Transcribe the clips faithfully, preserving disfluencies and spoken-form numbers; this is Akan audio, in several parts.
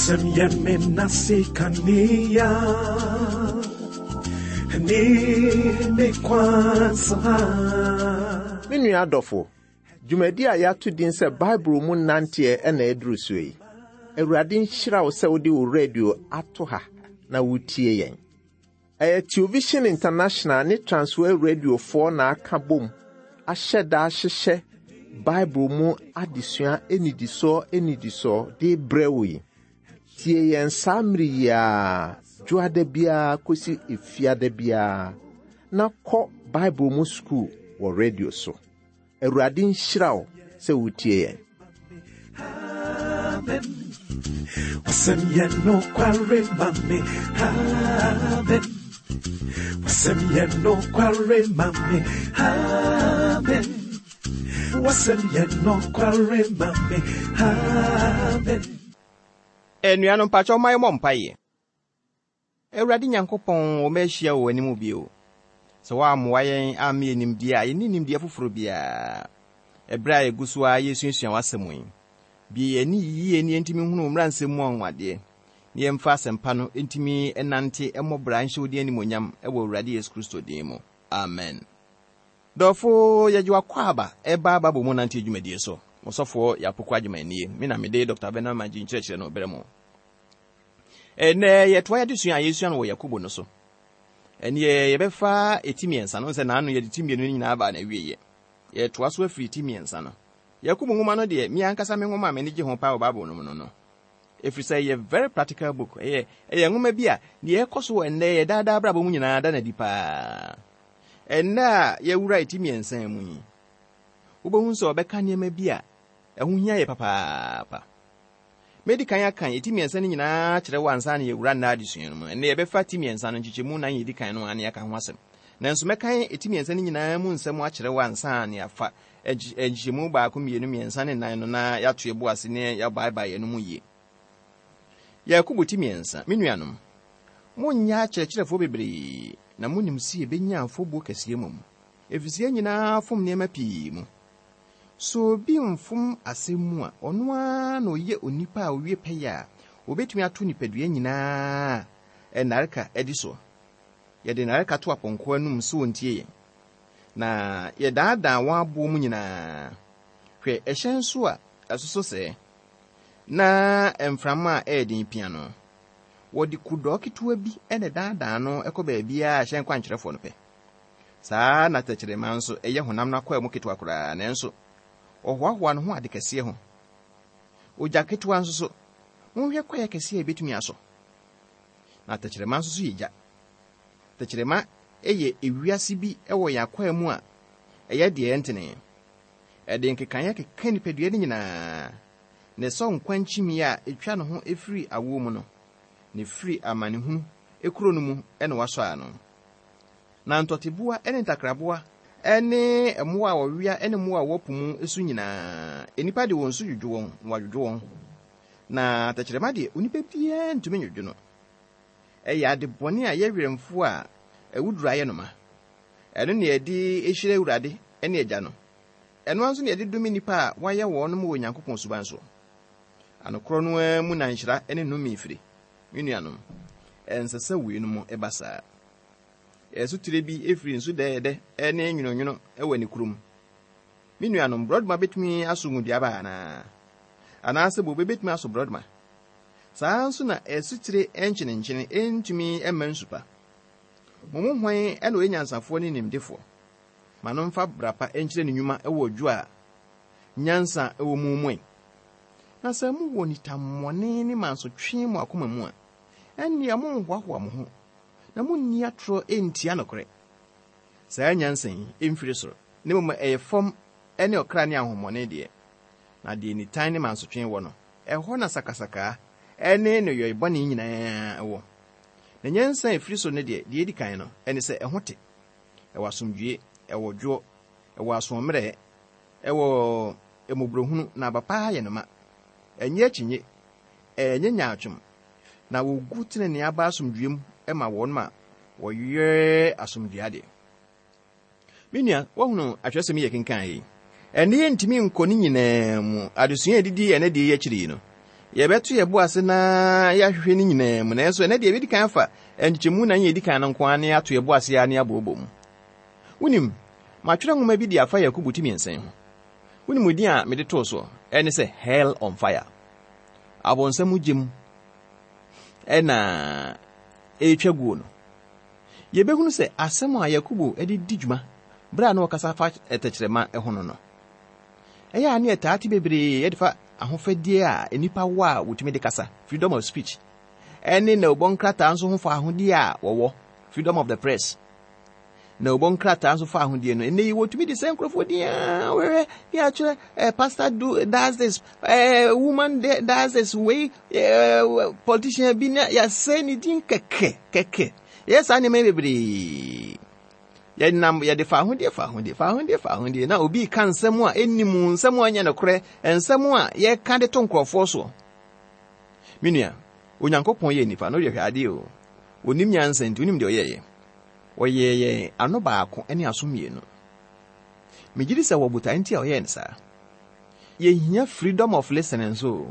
Wasɛm yɛ me nase kanea ne me kwan so ha. Me nua adɔfo, dwumadi a yɛato din sɛ Bible mu nanteɛ ɛna ɛduru so yi. Awurade nhyira wo sɛ wode wo radio ato ha na wotie yɛn. Ɛyɛ Television International ne Transworld Radiofoɔ na aka bom ahyɛ da ahyehyɛ Bible mu adesua anidisoɔ anidisoɔ de brɛ wo yi. Tie yɛn saa mmere yi a dwoada biara kɔsi efiada biara na kɔ Bible mu sukuu wɔ radio so. Awurade nhyira wo sɛ wotie yɛn. Amen. Wasɛm yɛ nokware ma me. Amen. Wasɛm yɛ nokware ma me. Amen. Wasɛm yɛ nokware ma me. Amen. Anuanom, mpakyɛw ma yɛmmɔ mpaeɛ. Awurade Nyankopɔn, wɔ mahyia wɔ w'anim bio. Sɛ woammoa yɛn amma yɛ nimdeɛ a yɛnni nimdeɛ foforɔ biara. Ɛberɛ a yɛgu so a yɛsuasua w'asɛm yi, bie yɛn ani yie ne yɛntumi nhunu wo mmaransɛm mu anwanwadeɛ, na yɛmfa asɛmpa no ntumi nante mmɔ bra nhyɛ wo din animuonyam ɛwɔ Awurade Yesu Kristo din mu. Amen. Dɔfo, yɛgye w'akɔ ɛba aba bɔ mu nante dwumadie so. Ɔsɔfoɔ Yɛapoko Agyeman me na mede Doctor Bernard Magye nkyerɛkyerɛ no brɛ mo. Ɛnɛ yɛtoa yɛde sua a yɛsua no wɔ Yakobo no so. Ɛneɛ yɛbɛfa eti mmiɛnsa no sɛ naano yɛde ti mmienu no nyinaa baa na awieɛ. Yɛtoa so afiri ti mmiɛnsa no. Yakobo nwoma no deɛ, me ankasa me nwoma a m'ani gye ho paa wɔ Bible no mu no no. Ɛfiri sɛ ɛyɛ very practical book. Ɛyɛ ɛyɛ nwoma bi a deɛ ɛkɔ so wɔ ɛnnɛ yɛ daadaa abrabɔ mu nyinaa da n'adi paa. Ɛnnɛ a yɛwura eti mmiɛnsa mu yi, wobɛhu sɛ ɔbɛka nneɛma bi a ɛho hia yɛ papaapa. Medi kan aka eti mmiɛnsa no nyinaa kyerɛ wo ansa na yɛwura nna adesua no mu. Ɛnnɛ yɛbɛfa ti mmiɛnsa no nkyekyɛmu nan yɛdi kan no a ne yɛaka ho asɛm. Nanso mɛkan eti mmiɛnsa no nyinaa mu nsɛm akyerɛ wo ansa na yɛafa nkyekyɛmu baako, mmienu, mmiɛnsa ne nnan no na yɛato yɛbo ase ne yɛabaebae yɛn no mu yie. Yakobo ti mmiɛnsa. Me nuanom, monnyɛ akyerɛkyerɛfoɔ bebree na monim sɛ yɛbɛnya afɔbuo kɛseɛ mmom, ɛfiri sɛ yɛn nyinaa fom nneɛma pii mu. Sɛ obi mfom asɛm mu a, ɔno ara na ɔyɛ onipa a owie pɛyɛ a obetumi ato nipadua nyinaa nnareka adi soɔ. Yɛde nnareka to apɔnkɔ anum sɛ wɔntie yɛn, na yɛdaadaa wɔn aboɔ mu nyinaa. Hwɛ ɛhyɛn so a ɛsoso sɛɛ na mframa a ɛyɛ den pia no, wɔde kudɔɔ ketewa bi na ɛdaadaa no kɔ baabiara a hyɛn kwankyerɛfoɔ no pɛ. Saa na tɛkyerɛma nso ɛyɛ honam no akwaa mu ketewa koraa, nanso ɔhoahoa ne ho ade kɛseɛ ho. Ogya ketewa nso so, monhwɛ kwaeɛ kɛseɛ a ebetumi asɔ. Na tɛkyerɛma nso so yɛ gya. Tɛkyerɛma yɛ ewiase bi wɔ yɛn akwaa mu a ɛyɛ deɛ ɛntene. Ɛde nkekaeɛ keka nipadua no nyinaa, na ɛsɔ nkwa nkyimii a etwa ne ho efiri awoɔ mu no, na efiri amanehunu ekuro no mu ɛna wasɔ ano. Na ntɔteboa ne ntakraboa ne mmoa a wɔwea ne mmoa a wɔwɔ po mu so nyinaa, nnipa de wɔn su dwodwo wɔn na wɔadwodwo wɔn. Na tɛkyerɛma deɛ, onipa biara ntumi nwodwo no. Ɛyɛ ade bɔne a ɛyɛ werɛmfoɔ a awuduru ayɛ no ma. Ɛno na yɛde hyira Awurade ne Agya no. Ɛno nso na yɛde dome nnipa a wɔayɛ wɔn wɔ Onyankopɔn suban so. Anokorɔ no ara mu na nhyira ne nnome firi. Me nuanom, ɛnsɛ sɛ weinom ɛba saa. Ɛsotire bi efiri nsu dɛɛdɛ ne nwononwono wɔ ne kurom. Me nuanom, borɔdɔma betumi aso ngodua anaa? Anaasɛ bobe betumi aso borɔdɔma? Saa nso na asutire nkyenenkyene ntumi mma nsu pa. Mo mu hwan na ɔyɛ nyansafoɔ ne nimdefoɔ? Ma no mfa bra pa nkyerɛ ne nnwuma wɔ dwo a nyansa wɔ mu mu. Na sɛ mowɔ nitammɔne ne mansotwe mo akoma mu a, ɛnneɛ monhoahoa mo ho na munni atorɔ ntia nokorɛ. Saa nyansa yi mfiri soro, na mmom ɛyɛ fam ne ɔkra ne ahonhommɔne deɛ. Na deɛ nitan ne mansotwe wɔ no, ɛhɔ na sakasaka ne nneyɔe bɔne nyinaa wɔ. Na nyansa a ɛfiri soro no deɛ, deɛ edi kan no, ɛne sɛ ɛho te, ɛwɔ asomdwie, ɛwɔ dwoɔ, ɛwɔ asoɔmmerɛ, ɛwɔ mmɔborɔhunu na aba pa yɛ no ma. Ɛnyɛ akyinnye, ɛnyɛ nyaatwom, na wogu tenenee aba asomdwie mu ma wɔn a wɔyɛ asomdwie adeɛ. Me nua, woahunu atwerɛsɛm yi yɛ kenkan yi. Ɛnne yɛntumi nkɔ ne nyinaa mu. Adesua a yɛdidi ɛnɛ deɛ yi akyiri yi no, Yɛbɛto yɛ bo ase na yɛahwehwɛ no nyinaa mu, nanso ɛnɛ deɛ yɛbɛdi kan afa nkyekyɛmu nan yɛdi kan no nko ara na yɛato yɛ bo ase a na yɛabobɔ mu. Wonim, matwerɛ nwoma bi de afa Yakobo ti mmiɛnsa yi ho. Wonim din a mede too soɔ? Ɛne sɛ Hell on Fire. Abɔnsam gyem ɛna ɛretwa guo no. Yɛbɛhunu sɛ asɛm a Yakobo de di dwuma berɛ a na ɔkasa fa tɛkyerɛma ho no no, ɛyɛ a ne yɛtaa te bebree yɛde fa ahofadie a nnipa wɔ a wɔtumi de kasa, freedom of speech, ɛne na ɔbɔ nkrataa nso ho fa ahodie a wɔwɔ, freedom of the press. Na ɔbɔ nkrataa nso fa ahodie no, ɛnɛ yi wɔtumi de sɛ nkurɔfoɔ din a wɔhwɛ ne akyerɛ eh, pastor do does this, eh, woman does this, wei eh, politician bi na yɛasɛ ne din kɛkɛ kɛkɛ. Yɛyɛ saa nneɛma yi bebree. Yɛnam yɛde fa ahodie fa ahodie fa ahodie fa ahodie na obi ka nsɛm a ɛnni mu, nsɛm a ɛnyɛ nokorɛ, nsɛm a yɛka de to nkurɔfoɔ soɔ. Me nua, Onyankopɔn yɛ nipa na ɔyɛ hwɛ adeɛ o. Onim nyansa nti onim deɛ ɔyɛɛyɛ. Ɔyɛɛ yɛn ano baako ne aso mmienu. Megye di sɛ wɔ botae nti a ɔyɛɛ no saa. Yɛhia freedom of listening nso.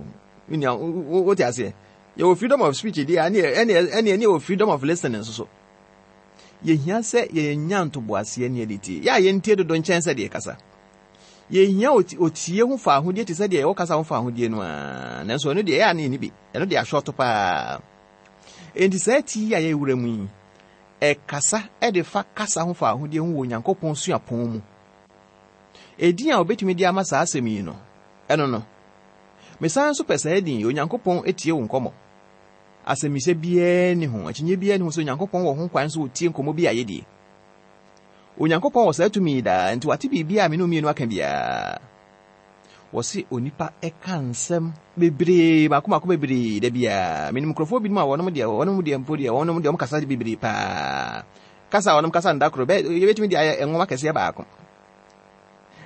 Me nua, wote aseɛ? Yɛwɔ freedom of speech deɛ, ɛne ɛne ɛne yɛwɔ freedom of listening nso so. Yɛhia sɛ yɛnya ntoboaseɛ ne yɛde tie. Yɛ a yɛntie dodo nkyɛn sɛ deɛ kasa. Yɛhia otie ho fa ahodie te sɛ deɛ yɛwɔ kasa ho fa ahodie no a, nanso ɛno deɛ ɛyɛ a ne yɛni bi. Ɛno deɛ ahyɔto paa. Enti saa ti yi a yɛwura mu yi, ɛkasa ɛde fa kasa ho fa ahodie ho wɔ Onyankopɔn suapɔn mu. Edin a obetumi de ama saa asɛm yi no, ɛno no. Mesan nso pɛ saa edin yi, Onyankopɔn etie wo nkɔmmɔ. Asɛmmisa biara nni ho, akyinnye biara nni ho sɛ Onyankopɔn wɔ ho kwan sɛ otie nkɔmmɔ bi a yɛdie. Onyankopɔn wɔ saa tumi yi daa, nti wate biribi a me ne mmienu aka biara. Wɔse onipa ɛka nsɛm bebree, baako baako bebree da biara. Menim nkurɔfoɔ binom a wɔnom deɛ, wɔnom deɛ mpo deɛ, wɔnom deɛ wɔn kasa bebree paa. Kasa a wɔnom kasa nda koro, bɛ yɛbɛtumi de ayɛ nwoma kɛseɛ baako.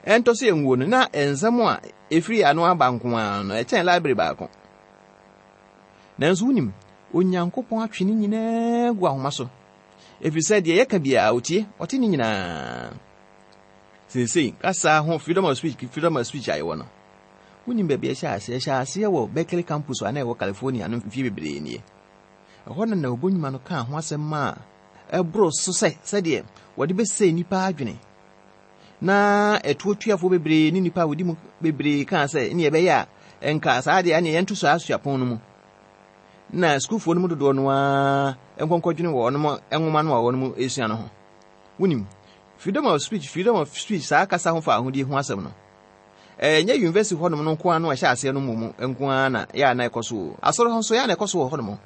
Ɛntɔ so yɛnwuo no, na nsɛm a ɛfiri ano aba nko ara no, ɛkyɛn library baako. Nanso wonim, Onyankopɔn atwe ne nyinaa gu ahoma so. Ɛfiri sɛ deɛ yɛka biara otie, ɔte ne nyinaa. Seesei, kasa ho freedom of speech, freedom of speech a yɛwɔ no. Wonim baabi a ɛhyɛ aseɛ, ɛhyɛ aseɛ wɔ Berkeley campus a na ɛwɔ California no mfie bebree nie. Ɛhɔ na na ɔbɔ nnwuma no kaa ho asɛm a ɛboro so sɛ sɛdeɛ wɔde bɛsɛe nnipa adwene. Na ɛtoɔtuafoɔ bebree ne nnipa a wɔdi mu bebree kaa sɛ ne ɛbɛyɛ a nka saa deɛ ɛne yɛnto saa suapɔn no mu. Na sukuufoɔ no mu dodoɔ no ara nkɔnkɔdwene wɔ wɔn nwoma no a wɔn esua no ho. Wonim, freedom of speech, freedom of speech saa kasa ho fa ahodie ho asɛm no. Ɛnyɛ university hɔnom no nko ara no a ɛhyɛ aseɛ no mmom nko ara na yɛ a na ɛkɔ so o. Asɔre hɔ nso yɛ a na ɛkɔ so wɔ hɔnom.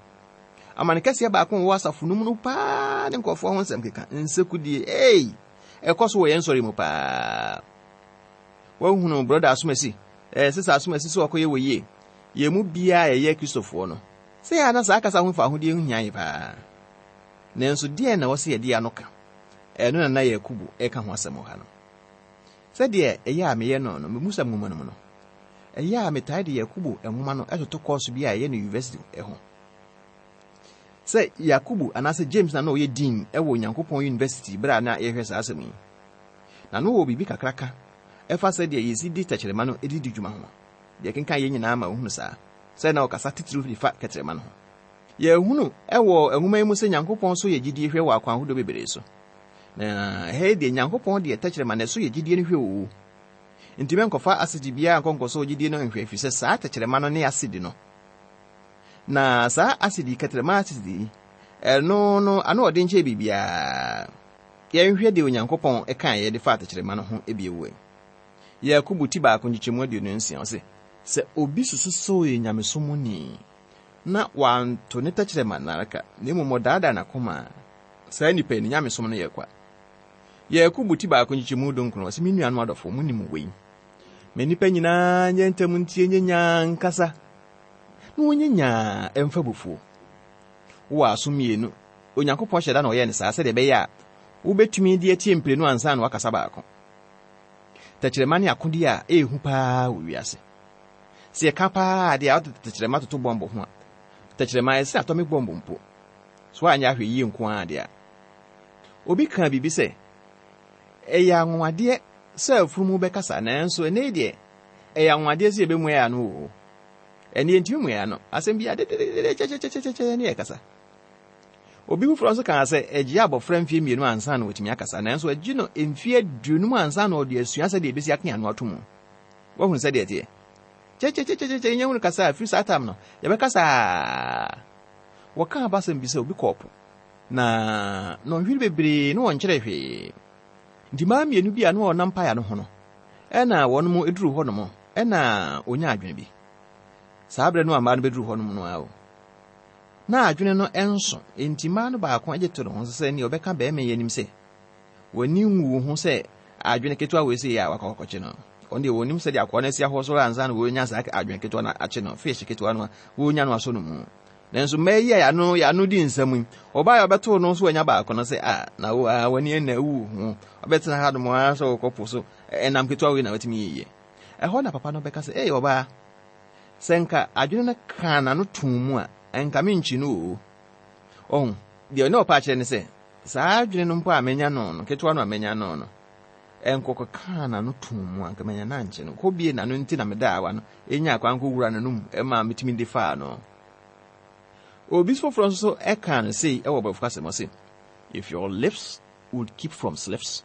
Amane kɛseɛ baako wɔ asafo no mu no paa ne nkurɔfoɔ ho nsɛm keka. Nsekudie, ei! Ɛkɔ so wɔ yɛn nsɔre mu paa. Wɔahunu brother Asomasi, ɛɛ sister Asomasi sɛ ɔkɔyɛ wɔ yie. Yɛn mu biara a yɛyɛ Kristofoɔ no, sɛ yɛ a na saa kasa ho fa ahodie ho hia yɛ paa. Nanso deɛ na wɔsɛ yɛde ano ka, ɛno na na Yakobo ɛka ho asɛm wɔ ha no. Sɛdeɛ ɛyɛ a meyɛ no no, memusa nwoma no mu no, ɛyɛ a metae de Yakobo nwoma no ɛtoto kɔɔso bi a ɛyɛ no university ho. Sɛ Yakobo anaasɛ James na na ɔyɛ dean ɛwɔ Onyankopɔn university berɛ a na yɛhwɛ saa asɛm yi. Na no wɔ biribi kakraka ɛfa sɛdeɛ yɛsi di tɛkyerɛma no de di dwuma ho. Deɛ kenkan yɛn nyinaa ma ohunu saa. Sɛ na ɔkasa titiriw de fa kɛtrɛma no ho. Yɛhunu ɛwɔ nwoma yi mu sɛ Nyankopɔn so yɛ gyidie hwɛ wɔ akwan ahodoɔ bebree so. Na ɛha yi deɛ Nyankopɔn deɛ tɛkyerɛma na ɛso yɛ gyidie no hwɛ o. Nti mɛnkɔfa asidi biara nkɔnkɔ so gyidie no nhwɛ ɛfiri sɛ saa tɛkyerɛma no ne asidi no. Na saa asidi kɛtrɛma asidi yi, ɛno no ano ɔde nkyɛn biribiara. Yɛnhwɛ deɛ Onyankopɔn ɛkaeɛ de fa tɛkyerɛma no ho ebie wɔ yi. Yakobo ti baako nkyekyɛmu aduonu nsia ɔse, sɛ obi susu sɛ ɔyɛ nyamesomni na wanto ne tɛkyerɛma nnareka na mmom ɔdaadaa n'akoma a, saa nipa yi ne nyamesom no yɛ kwa. Yakobo ti baako nkyekyɛmu dunkron ɔse, me nuanom adɔfo, monim wei. Ma nnipa nyinaa nyɛ ntɛm ntie nyɛ nyaa nkasa na wɔnyɛ nyaa ɛmfa bufuo. Wowɔ aso mmienu. Onyankopɔn hyɛ da na ɔyɛɛ no saa sɛdeɛ ɛbɛyɛ a wobɛtumi de atie mprenu ansa na wakasa baako. Tɛkyerɛma ne akodeɛ a ɛyɛ hu paa wɔ wiase. Sɛ yɛka paa deɛ a wode tɛkyerɛma toto bɔmbo ho a, tɛkyerɛma ɛsɛ atomic bomb mpo. So anyɛ ahwɛ yie nko ara deɛ a. Obi kaa biribi sɛ, ɛyɛ anwanwadeɛ sɛ afunumu bɛkasa, nanso ɛnnɛ yi deɛ, ɛyɛ anwanwadeɛ sɛ yɛbɛmua yɛn ano wɔ. Ɛne yɛntumi mmua no. Asɛm bi adededede kyɛkyɛkyɛkyɛ ne yɛkasa. Obi foforɔ nso kaa sɛ ɛgye abɔfra mfie mmienu ansa na wɔtumi akasa, nanso ɛgye no mfie aduonum ansa na ɔde asua sɛdeɛ ɛbɛsi ake ano ato mu. Woahunu sɛdeɛ ɛteɛ? Kyɛkyɛkyɛkyɛkyɛ nyɛ hunu kasa a firi saa tam no yɛbɛkasa. Wɔka abasɛm bi sɛ obi kɔɔ po na nɔnhwere bebree na wɔnkyerɛ hwee. Nti mmaa mmienu bi a na wɔnam paeɛ no ho no, ɛna wɔn mo eduru hɔnom, ɛna onya adwene bi. Saa berɛ no a mmaa no bɛduru hɔnom no ara o, na adwene no nso, enti mmaa no baako agye to ne ho sɛ nea ɔbɛka bɛrima yi anim sɛ wɔni nwu ho sɛ adwene ketewa wei sɛ yɛ a wakɔ akɔkye no. Ɔno deɛ wɔnim sɛdeɛ akoa no asi ahɔ soro ansa na wɔnya saa adwene ketewa no akye no, fish ketewa no a wɔnya no asɔ no mu. Nanso mmaa yi a yɛano yɛano di nsɛm yi, ɔbaa a ɔbɛtoo no nso wanya baako no sɛ a na wo a w'ani na awu ho ɔbɛtena ha nom ara sɛ wɔkɔ po so ɛnam ketewa wei na watumi yie. Ɛhɔ na papa no bɛka sɛ, "Ei ɔbaa, sɛ nka adwene no kaa n'ano too mu a, ɛnka menkyi no o." Ɔho, deɛ ɔne ɔpa akyerɛ ne sɛ, saa adwene no mpo a manya no no, ketewa no a manya no no, ɛnkɔkɔ kaa n'ano too mu a, nka manya no ankye no. Kɔ bie n'ano nti na meda awa no, ɛnya akwan kɔwura n'anom ɛma metumi de faa no. Obi foforɔ nso ɛka no sei ɛwɔ borɔfo kasa mu ɔse, "If your lips would keep from slips,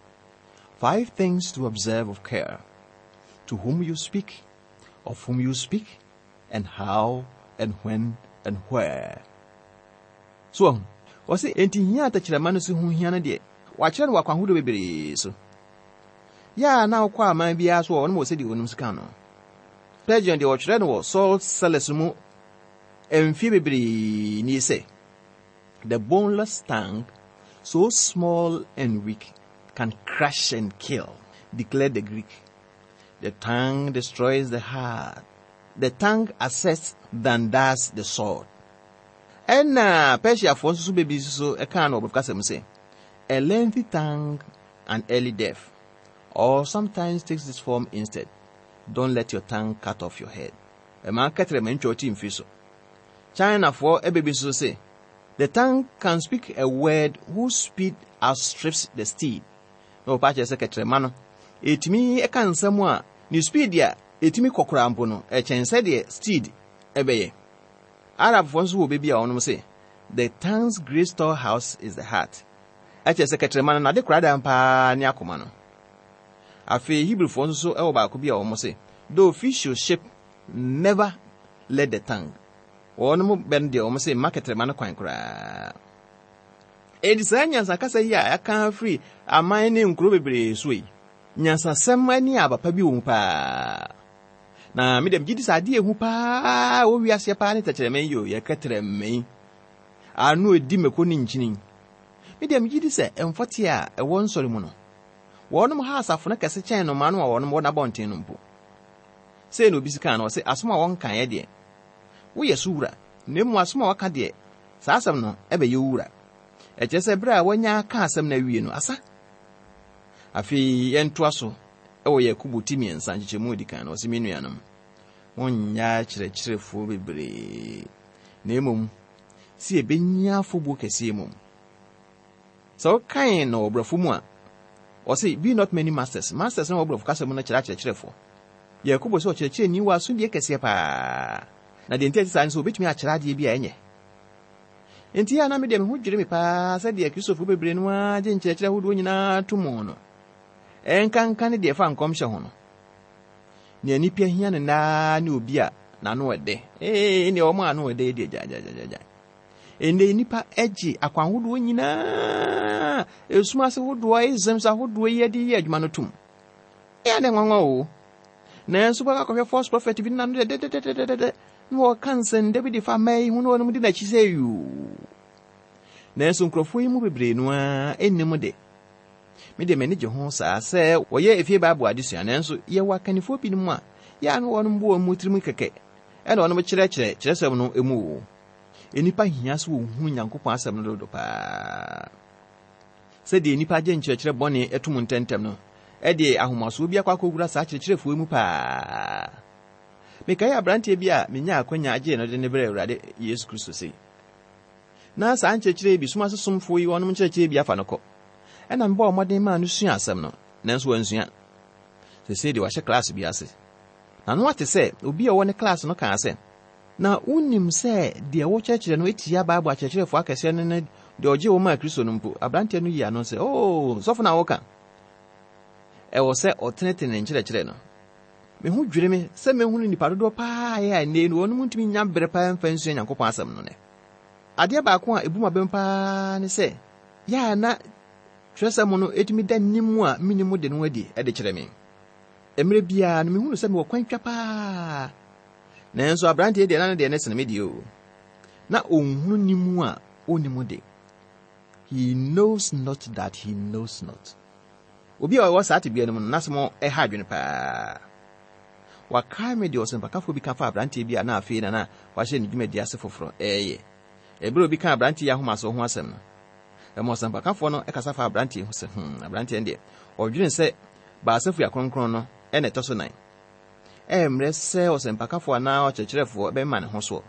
five things to observe of care: to whom you speak, of whom you speak, and how, and when, and where." So ɔho, ɔse enti hia atɛkyerɛma no so ho hia no deɛ, wakyerɛ no wɔ akwan ahodoɔ bebree so. Yɛ a na wokɔ aman biara so wɔ ɔnom wɔ sɛdeɛ wɔnom sika no. Spurgeon deɛ ɔtwerɛ no wɔ Salt Cellars mu mfie bebree nie sɛ, "The boneless tongue, so small and weak, can crush and kill, declared the Greek. The tongue destroys the heart. The tongue asserts than does the sword." Ɛna Persiafoɔ nso so bebree nso ɛkaa no wɔ borɔfo kasa mu sɛ, "A lengthy tongue and early death, or sometimes takes this form instead. Don't let your tongue cut off your head." Ɛma kɛtɛrɛma ntwa ɔti mfiri so. Chinafoɔ ɛbɛbi nso sɛ, "The tongue can speak a word whose speed outstrips the steed." Na wɔpa kyerɛ sɛ kɛtɛrɛma no, ɛtumi ɛka nsɛm a ne speed a ɛtumi kɔkora mpo no, ɛkyɛn sɛdeɛ steed ɛbɛyɛ. Arabfoɔ nso wɔ baabi a wɔnom sɛ, "The tongue's great storehouse is the heart." Ɛkyerɛ sɛ kɛtɛrɛma no n'ade koradan paa ne akoma no. Afei Hebrewfoɔ nso so ɛwɔ baako bi a wɔn sɛ, "Though fish should ship, never let the tongue." Wɔnom bɛ no deɛ wɔn sɛ mma kɛtɛrɛma no kwan koraa. Enti saa nyansakasa yi a yɛaka afiri aman ne nkuro bebree so yi, nyansasɛm ne aba pa bi wɔ mu paa. Na me deɛ megye di sɛ adeɛ ehu paa wɔ wiaseɛ paa ne tɛkyerɛma yi o, yɛ kɛtɛrɛma yi. Ano edi mako ne nkyini. Me deɛ megye di sɛ mfɔte a ɛwɔ nsɔre mu no, wɔnom ha asafo no kɛse kyɛn nnomaa no a wɔnom wɔ n'abɔnten no mpo. Sei na obi si kaa no, ɔse asom a wɔnkaeɛ deɛ, woyɛ so wura, na mmom asom a wɔka deɛ, saa asɛm no ɛbɛyɛ wo wura. Ɛkyerɛ sɛ berɛ a wɔanya aka asɛm no awie no, asa. Afei yɛntoa so ɛwɔ Yakobo ti mmiɛnsa nkyekyɛmu edi kan no, ɔse me nuanom, monyɛ akyerɛkyerɛfoɔ bebree, na mmom sɛ yɛbɛnya afɔbuo kɛseɛ mu. Sɛ wokan no wɔ borɔfo mu a, ɔse be not many masters. Masters no wɔ borɔfo kasa mu no kyerɛ akyerɛkyerɛfoɔ. Yakobo sɛ ɔkyerɛkyerɛni wɔ asodie kɛseɛ paa. Na deɛ nti a ɛte saa ne sɛ obɛtumi akyerɛ adeɛ bi a ɛnyɛ. Enti a na me deɛ me ho dwiri me paa sɛdeɛ Kristofoɔ bebree no ara gye nkyerɛkyerɛ ahodoɔ nyinaa to mu no. Ɛnkanka ne deɛ ɛfa nkɔmhyɛ ho no. Nea nnipa hia no naa ne obi a n'ano ɛdɛ. Ee, nea wɔn ano ɛdɛ deɛ gyaagyaagyaagya. Ɛnnɛ nnipa agye akwan ahodoɔ nyinaa, esum ase ahodoɔ, isms ahodoɔ yi de yɛ adwuma no tom. Ɛyɛ ne nwanwa o. Nanso bɛka akɔhwɛ false prophet bi n'ano dɛdɛdɛdɛdɛdɛ na wɔka nsɛndɛ bi de fa mmaa yi ho na wɔnom di n'akyi sɛ yuu. Nanso nkurɔfoɔ yi mu bebree no ara nnim de. Me deɛ m'ani gye ho saa sɛ wɔyɛ efie Bible adesua, nanso yɛwɔ akannifoɔ binom a yɛ a na wɔnom bɔ wɔn mu tirim kɛkɛ ɛna wɔnom kyerɛkyerɛ kyerɛsɛm no mu o. Nnipa hia sɛ wɔhunu Nyankopɔn asɛm no dodo paa. Sɛdeɛ nnipa gye nkyerɛkyerɛ bɔne ɛto mu ntɛmntɛm no, ɛde ahomasoɔ bi akɔ akɔwura saa kyerɛkyerɛfoɔ yi mu paa. Mekae aberanteɛ bi a menya akwanya agye no de ne brɛ Awurade Yesu Kristo sei. Na saa nkyerɛkyerɛ yi bi sum ase somfoɔ yi wɔnom nkyerɛkyerɛ bi afa no kɔ. Ɛna mebɔɔ mmɔden maa no sua asɛm no, nanso wansua. Seesei deɛ wahyɛ class bi ase. Na no ate sɛ obi a ɔwɔ ne class no kaa sɛ, Na wonim sɛ deɛ wokyerɛkyerɛ no etia Bible akyerɛkyerɛfoɔ akɛseɛ no ne deɛ ɔgye wo maa Kristo no mpo. Aberanteɛ no yi ano sɛ, "Oo, sɔfo na woka." Ɛwɔ sɛ ɔtenetene ne nkyerɛkyerɛ no. Me ho dwiri me sɛ mehunu nnipa dodoɔ paa a ɛnnɛ no wɔnom ntumi nya berɛ paa mfa nsua Nyankopɔn asɛm no nɛ. Adeɛ baako a ebu m'abam paa ne sɛ, yɛ a na twerɛsɛm no etumi da nim a menim de no adi de kyerɛ me. Mmerɛ biara no mehunu sɛ mewɔ kwan twa paa. Nanso aberanteɛ deɛ na ne deɛ ne sene me deɛ o. Na ɔnhunu nim a ɔnnim de. He knows not that he knows not. Obi a ɔwɔ saa tebea no mu no, n'asɛm ɛha adwene paa. Wakae me deɛ ɔsɛmpakafoɔ bi ka fa aberanteɛ bi a na afei na na wahyɛ ne dwumadi ase foforɔ ɛɛyɛ. Ɛberɛ obi ka aberanteɛ yi ahomasoɔ ho asɛm no, ɛma ɔsɛmpakafoɔ no ɛkasa fa aberanteɛ ho sɛ, hmm, aberanteɛ no deɛ, ɔdwene sɛ baasa fua kronkron no ɛna ɛtɔ so nan. Ɛmmerɛ sɛ ɔsɛmpakafoɔ anaa ɔkyerɛkyerɛfoɔ bɛma ne ho soɔ.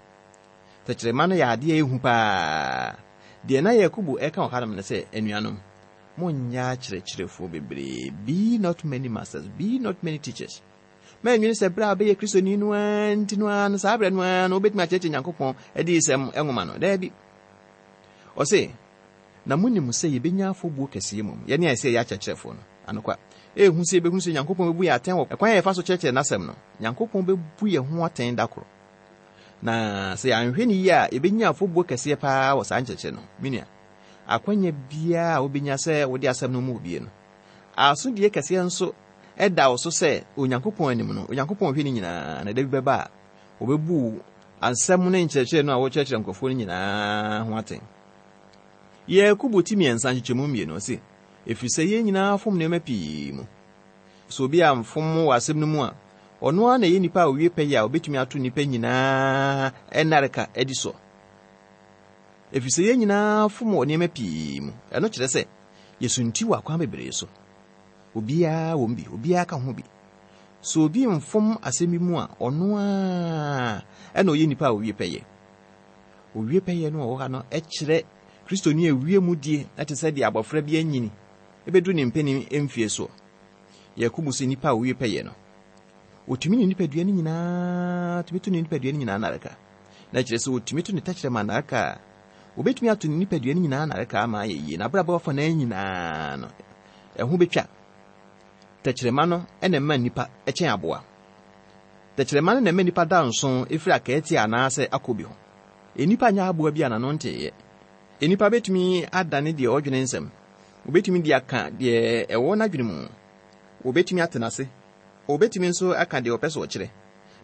Tɛkyerɛma no yɛ adeɛ a ɛhu paa. Deɛ na Yakobo ɛka wɔ hanom ne sɛ, anuanom, monyɛ akyerɛkyerɛfoɔ bebree. Be not many masters, be not many teachers. Mɛnwene sɛ berɛ a wobɛyɛ Kristoni no ara nti no ara no, saa berɛ no ara no wobɛtumi akyerɛkyerɛ Nyankopɔn adiyisɛm nwoma no. Daabi. Ɔse, na monim sɛ yɛbɛnya afɔbuo kɛseɛ mmom, yɛne a ɛsɛ yɛyɛ akyerɛkyerɛfoɔ no. Anokwa, ɛhu sɛ yɛbɛhunu sɛ Nyankopɔn bɛbu yɛn atɛn wɔ ɛkwan a yɛfa so kyerɛkyerɛ n'asɛm no. Nyankopɔn bɛbu yɛn ho atɛn da koro. Na sɛ yɛanhwɛ ne yie a, yɛbɛnya afɔbuo kɛseɛ paa wɔ saa nkyerɛkyerɛ no. Me nua, akwanya biara a wobɛnya sɛ wode asɛm no mu obie no, asodie kɛseɛ nso ɛda wo so sɛ Onyankopɔn anim no, Onyankopɔn hwɛ ne nyinaa, na da bi bɛba a, wɔbɛbu asɛm ne nkyerɛkyerɛ no a wɔkyerɛkyerɛ nkurɔfoɔ no nyinaa ho atɛn. Yakobo ti mmiɛnsa nkyekyɛmu mmienu ɔse, ɛfiri sɛ yɛn nyinaa fom nneɛma pii mu. Sɛ obi amfom wɔ asɛm no mu a, ɔno ara na ɛyɛ nipa a owie pɛyɛ a obɛtumi ato nnipa nyinaa nnareka adi so. Ɛfiri sɛ yɛn nyinaa fom wɔ nneɛma pii mu. Ɛno kyerɛ sɛ yɛsunti wɔ akwan bebree so. Obiara wɔ mu bi, obiara ka ho bi. Sɛ obi mfom asɛm bi mu a, ɔno ara ɛna ɔyɛ nipa a owie pɛyɛ. Owie pɛyɛ no a ɔwɔ ha no ɛkyerɛ Kristoni a owie mu die ɛte sɛ deɛ abɔfra bi anyini ɛbɛduru ne mpanin mfie soɔ. Yakobo sɛ nipa a owie pɛyɛ no, otumi ne nipadua no nyinaa, tumi to ne nipadua no nyinaa nnareka. Na kyerɛ sɛ otumi to ne tɛkyerɛma nnareka a, obetumi ato ne nipadua no nyinaa nnareka ama ayɛ yie. N'abrabɔ afa nan nyinaa no, ɛho betwa. Tɛkyerɛma no ɛna ɛma nipa ɛkyɛn aboa. Tɛkyerɛma no na ɛma nipa da nson efiri akɛɛte anaasɛ akɔ bi ho. Enipa nyɛ aboa bi a n'ano nteeɛ. Enipa betumi adane deɛ ɔdwene nsɛm. Obetumi de aka deɛ ɛwɔ n'adwene mu. Obetumi atena ase. Obetumi nso aka deɛ ɔpɛ sɛ ɔkyerɛ.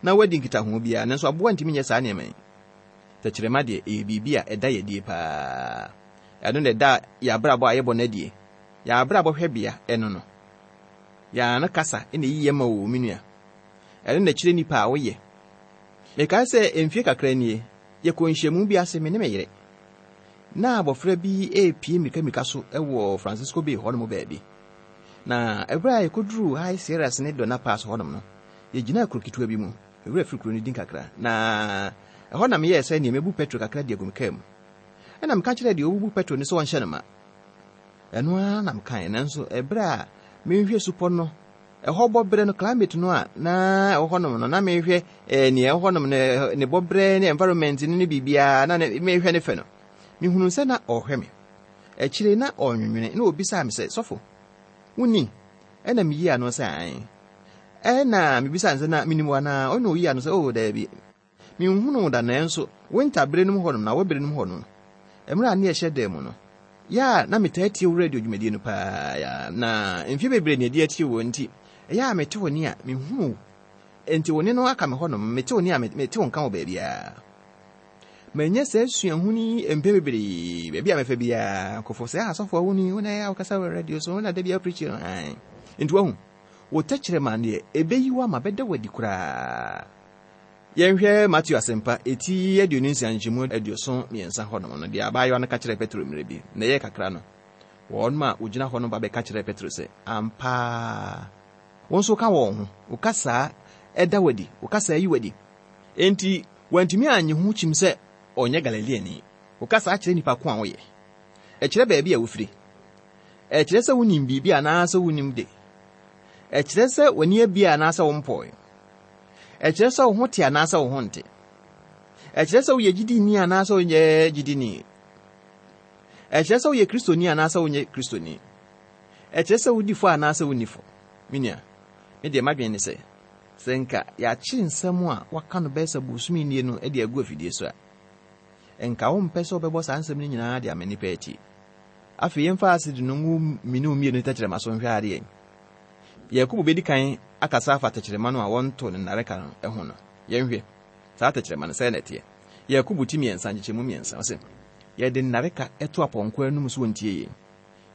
Na wadi nkitaho biara, nanso aboa ntumi nyɛ saa nneɛma yi. Tɛkyerɛma deɛ ɛyɛ biribi a ɛda yɛ die paa. Ɛno na ɛda yɛ abrabɔ a yɛbɔ no adie. Yɛ abrabɔ hwɛbea ɛno no. Yɛn ano kasa ɛna eyi yɛ ma wo me nua. Ɛno na ɛkyerɛ nipa a woyɛ. Mekae sɛ mfie kakra nie, yɛkɔ nhyiamu bi ase me ne me yere. Na abɔfra bi epie mmirika so ɛwɔ Francisco Bay hɔnom baabi. Na ɛberɛ a yɛkɔduruu High Sierras ne Dona Pass hɔnom no, yɛgyinaa kuro ketewa bi mu. Ewura firi kuro no din kakra. Na ɛhɔ na meyɛɛ sɛ nea mebu petrol kakra de agu me kaa mu. Ɛna meka kyerɛɛ deɛ ɔbubu petrol no sɛ ɔnhyɛ no ma. Ɛno ara na mekaeɛ, nanso ɛberɛ a mehwɛ supɔ no, ɛhɔ bɔberɛ no, climate no a na ɛwɔ hɔnom no, na mehwɛ eh, nea ɛwɔ hɔnom no, ne bɔberɛ ne environment no ne biribiara, na ne, mehwɛ ne fɛ no. Mehunu sɛ na ɔrehwɛ me. Akyire na ɔnwenwene, na obisaa me sɛ, sɔfo, wonni? Ɛna meyii ano sɛ ae. Ɛna mebisaa no sɛ na menim wo anaa? Ɔna oyii ano sɛ, oh, daabi. Menhunu wo da, nanso winter bere no mu hɔnom na awɔ bere no mu hɔ no, mmerɛ a ne yɛhyɛ dan mu no, yɛ a na metaa tie wo radio dwumadie no paa ya, na mfeɛ bebree ne adi atie wɔ nti, ɛyɛ a mete wo nne a mehunu wo. Enti wo nne no aka me hɔnom, mete wo nne a mete wo nka wɔ baabiara. Manya saa suahunu yi mpɛn bebree, baabi a mɛfa biara, nkurɔfoɔ sɛ, ah, sɔfo wo ni, wo na ɛyɛ a wokasa wɔ radio so, wo na da bi a preach no. Ae. Enti wahu, wo tɛkyerɛma deɛ, ɛbɛyi wo ama bɛda wo adi koraa. Yɛnhwɛ Matthew asɛmpa, eti aduonu nsia nkyɛmu aduɔson mmiɛnsa hɔnom no, deɛ abaayewa no ka kyerɛɛ Petro mmerɛ bi, na ɛyɛ kakra no, wɔn a wogyina hɔ no ba bɛka kyerɛɛ Petro sɛ, ampa, wo nso ka wɔn ho, wo kasa ɛda wadi, wo kasa yi wadi. Enti, wantumi annye ho kyim sɛ ɔnyɛ Galileani. Wo kasa akyerɛ nipa ko a woyɛ. Ɛkyerɛ baabi a wofiri. Ɛkyerɛ sɛ wonim biribi anaasɛ wonim de. Ɛkyerɛ sɛ w'ani abie anaasɛ wompɔe. Ɛkyerɛ sɛ wo ho te anaasɛ wo ho nte. Ɛkyerɛ sɛ woyɛ gyidini anaasɛ wonyɛ gyidini. Ɛkyerɛ sɛ woyɛ Kristoni anaasɛ wonyɛ Kristoni. Ɛkyerɛ sɛ wodi fɔ anaasɛ wonni fɔ. Me nua, me deɛ m'adwene ne sɛ, sɛ nka yɛakye nsɛm a waka no bɛyɛ sɛ bosome nie no de agu afidie so a, nka wompɛ sɛ wobɛbɔ saa nsɛm no nyinaa de ama nnipa atie. Afei yɛmfa asidi no ngu mene wo mmienu tɛkyerɛma so nhwɛ adeɛ. Yakobo bɛdi kan akasa afa tɛkyerɛma no a wɔnto ne nnareka no ho no. Yɛnhwɛ saa tɛkyerɛma no sɛɛ na ɛteɛ. Yakobo ti mmiɛnsa nkyekyɛmu mmiɛnsa, ɔsɛ yɛde nnareka to apɔnkɔ anum so wɔntie yɛn.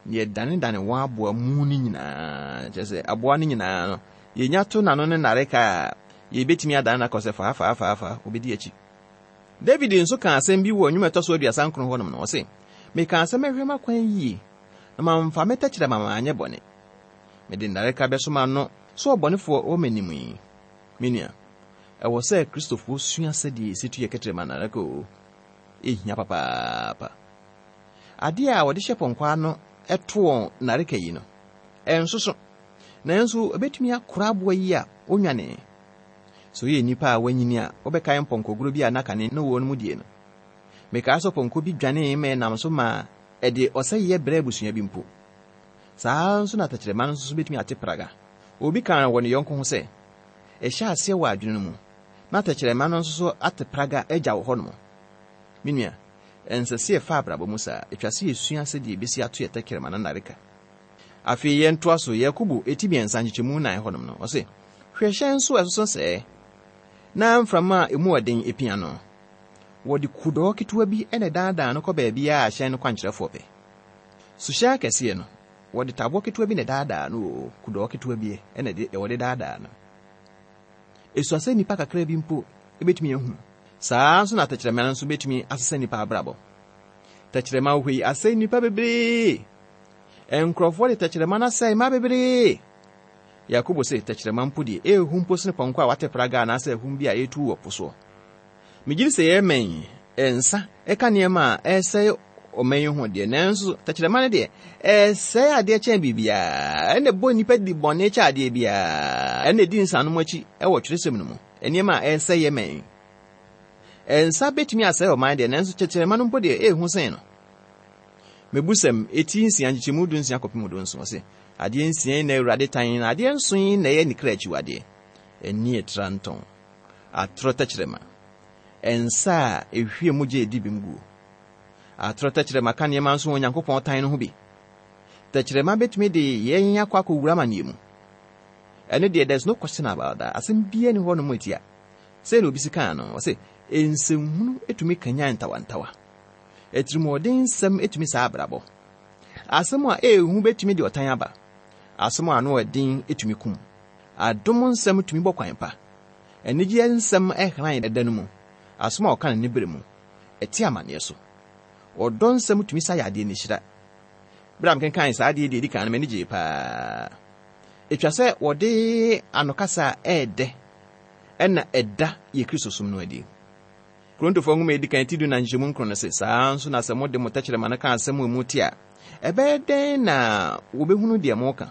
Na yɛdanedane wɔn aboa mu no nyinaa, kyerɛ sɛ aboa no nyinaa no, yɛnya to n'ano ne nnareka a yɛbɛtumi adane no akɔ sɛ faa faa faa faa, obɛdi akyi. David nso ka asɛm bi wɔ nnwom a ɛtɔ so aduasa nkron hɔnom no, ɔse, meka sɛ mɛhwɛ m'akwan yie, na mamfa me tɛkyerɛma manyɛ bɔne. Mede nnareka bɛso m'ano sɛ ɔbɔnefoɔ wɔ m'anim yi. Me nua, ɛwɔ sɛ Kristofoɔ sua sɛdeɛ yɛsi tu yɛ kɛtrɛma nnareka o. Ɛhia papaapa. Adeɛ a wɔde hyɛ pɔnkɔ ano ɛto wɔn nnareka yi no, ɛnso so. Nanso ɛbɛtumi akora aboa yi a onwane. Sɛ woyɛ nnipa a wanyini a, wobɛkae mpɔnkɔgoro bi a na kane ne wɔn mu die no. Mekaa sɛ pɔnkɔ bi dwanee ma ɛnam so ma ɛde ɔsɛeɛ brɛ abusua bi mpo. Saa nso na tɛkyerɛma no nso bɛtumi ate praga. Obi kaa wɔ ne yɔnko ho sɛ, ɛhyɛ aseɛ wɔ adwene no mu, na tɛkyerɛma no nso so ate praga agya wɔ hɔnom. Me nua, ɛnsɛ sɛ yɛfa abrabɔ mu saa. Ɛtwa sɛ yɛsua sɛdeɛ yɛbɛsi ato yɛ tɛkyerɛma no nnareka. Afei yɛntoa so, Yakobo eti mmiɛnsa nkyekyɛmu nnan hɔnom no, ɔse, hwɛ hyɛn nso a ɛsoso sɛɛ, na mframa a emu ɔden epia no. Wɔde kudɔɔ ketewa bi na ɛdaadaa no kɔ baabiara a hyɛn no kwankyerɛfoɔ pɛ. Suhyɛn akɛseɛ no, wɔde taboɔ ketewa bi na ɛdaadaa no o, kudɔɔ ketewa bi na wɔde daadaa no. Esua sɛ nnipa kakra bi mpo ebetumi ahu. Saa nso na tɛkyerɛma no nso betumi asesa nnipa abrabɔ. Tɛkyerɛma wɔ hɔ yi asɛe nnipa bebree. Nkurɔfoɔ de tɛkyerɛma no asɛe mmaa bebree. Yakobo se tɛkyerɛma mpo deɛ ehu mpo sene pɔnkɔ a wate praga anaasɛ ahum bi a ɛretu wɔ po soɔ. Megye di sɛ yɛmɛn nsa ɛka nneɛma a ɛsɛe ɔman yi ho deɛ, nanso tɛkyerɛma no deɛ ɛsɛe adeɛ kyɛn biribiara. Ɛna ɛbɔ nnipa di bɔne kyɛ adeɛ biara. Ɛna ɛdi nsanom akyi ɛwɔ twerɛsɛm no mu. Nneɛma a ɛsɛe yɛmɛn. Nsa bɛtumi asɛe ɔman deɛ, nanso tɛkyerɛma no mpo deɛ ɛɛhu sen no. Mebusɛm eti nsia nkyekyɛmu du nsia kɔpem du nson, ɔse adeɛ nsia yi na Awurade tan, na adeɛ nson yi na ɛyɛ ne kra akyiwadeɛ. Ani ɛtra ntɔn, atorɔ tɛkyerɛma, nsa a ehwie mogya edi bem guo. Atorɔ tɛkyerɛma ka nneɛma nso wɔ Onyankopɔn tan no ho bi. Tɛkyerɛma bɛtumi de yɛn akɔ akɔwura amanneɛ mu. Ɛno deɛ, there's no question about that. Asɛm biara ni hɔ nom etia. Sɛ na obi si kaa no, ɔse nsɛmhunu etumi kanyan ntawantawa. Atirimuɔden nsɛm etumi saa abrabɔ. Asɛm a ehu bɛtumi de ɔtan aba. Asɛm a ano ɛden etumi kum. Adom nsɛm tumi bɔ kwan pa. Anigyeɛ nsɛm ɛhran ɛda no mu. Asɛm a ɔka no ne bere mu, ɛte amanneɛ so. Ɔdɔ nsɛm tumi sa yadeɛ ne hyira. Bere a mekenkan saa adeɛ deɛ edi kan no, m'ani gyee paa. Etwa sɛ wɔde anokasa a ɛɛdɛ ɛna ɛda yɛ Kristo som no adi. Korintofoɔ nwoma a edi kan ti du na nkyɛmu nkron no se, saa nso na sɛ mode mo tɛkyerɛma no ka asɛm a emu te a, ɛbɛyɛ dɛn na wɔbɛhunu deɛ moka?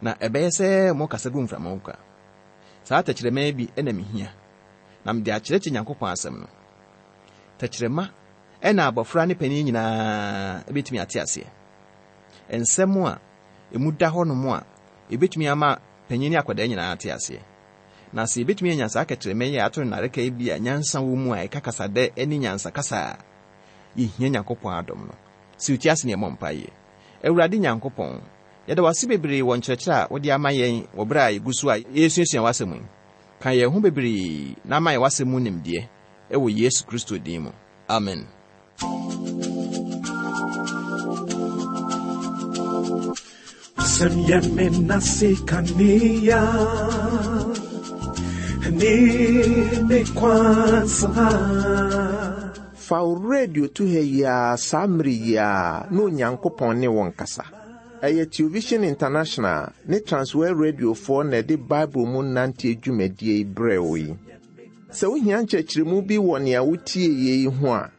Na ɛbɛyɛ sɛ mokasa gu mframa mu kwa. Saa tɛkyerɛma yi bi na mehia, na mede akyerɛkyerɛ Nyankopɔn asɛm no. Tɛkyerɛma ɛna abɔfra ne panin nyinaa ebɛtumi ate aseɛ. Nsɛm a emu da hɔnom a ebɛtumi ama panyin ne akwadaa nyinaa ate aseɛ. Na sɛ ebɛtumi anya saa kɛtrɛma yi a ato nnareka yi bi a nyansa wɔ mu a ɛka kasadɛ ne nyansa kasa a, yɛhia Nyankopɔn adom no. Sɛ wotie ase ne ɛmmɔ mpaeɛ. Awurade Nyankopɔn, yɛda wo ase bebree wɔ nkyerɛkyerɛ a wode ama yɛn wɔ berɛ a yɛgu so a yɛresuasua w'asɛm yi. Ka yɛn ho bebree na ama yɛn w'asɛm mu nimdeɛ ɛwɔ Yesu Kristo din mu. Amen. Wasɛm yɛ me nase kanea ne me kwansa. Fa wo radio to ha yi ara saa mmere yi ara na Onyankopɔn ne wo nkasa. Ɛyɛ Television International ne Transworld Radiofoɔ na ɛde Bible mu nante dwumadie yi brɛ wo yi. Sɛ wohia nkyerɛkyerɛmu bi wɔ nea wotie yi ho a,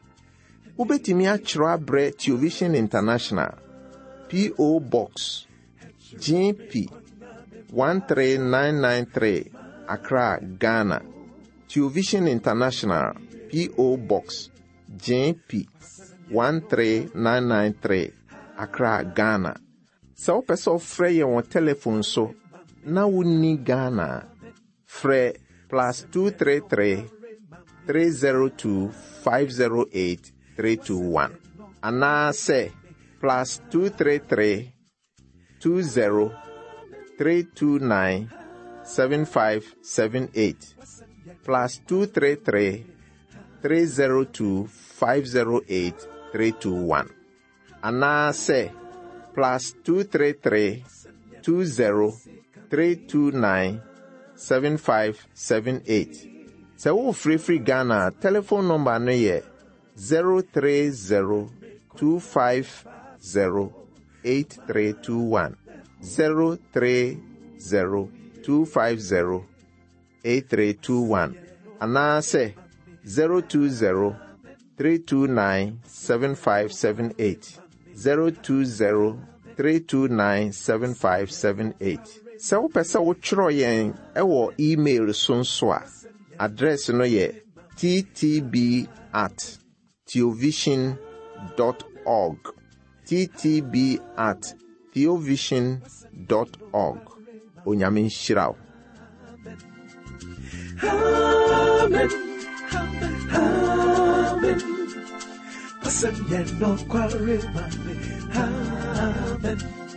wobɛtumi akyerɛw abrɛ Television International, P O. Box G P one three nine nine three, Accra, Ghana. Television International, P O. Box G P one three nine nine three, Accra, Ghana. Sɛ wopɛ sɛ wofrɛ yɛn wɔ telephone so na wonni Ghana a, frɛ plus two three three, three zero two, five zero eight, three two one anaasɛ plus two three three, two zero, three two nine, seven five seven eight, plus two three three, three zero two, five zero eight, three two one anaasɛ plus two three three, two zero, three two nine, seven five seven eight. Sɛ wofirifiri Ghana a, telephone number no yɛ zero three zero two five zero eight three two one, zero three zero two five zero eight three two one anaasɛ zero two zero three two nine seven five seven eight, zero two zero three two nine seven five seven eight. Sɛ wopɛ sɛ wotwerɛ yɛn ɛwɔ email so nso a, address no yɛ T T B at theovision dot org, T T B at theovision dot org. Onyame nhyira wo. Amen. Amen. Wasɛm yɛ nokware ma me. Amen.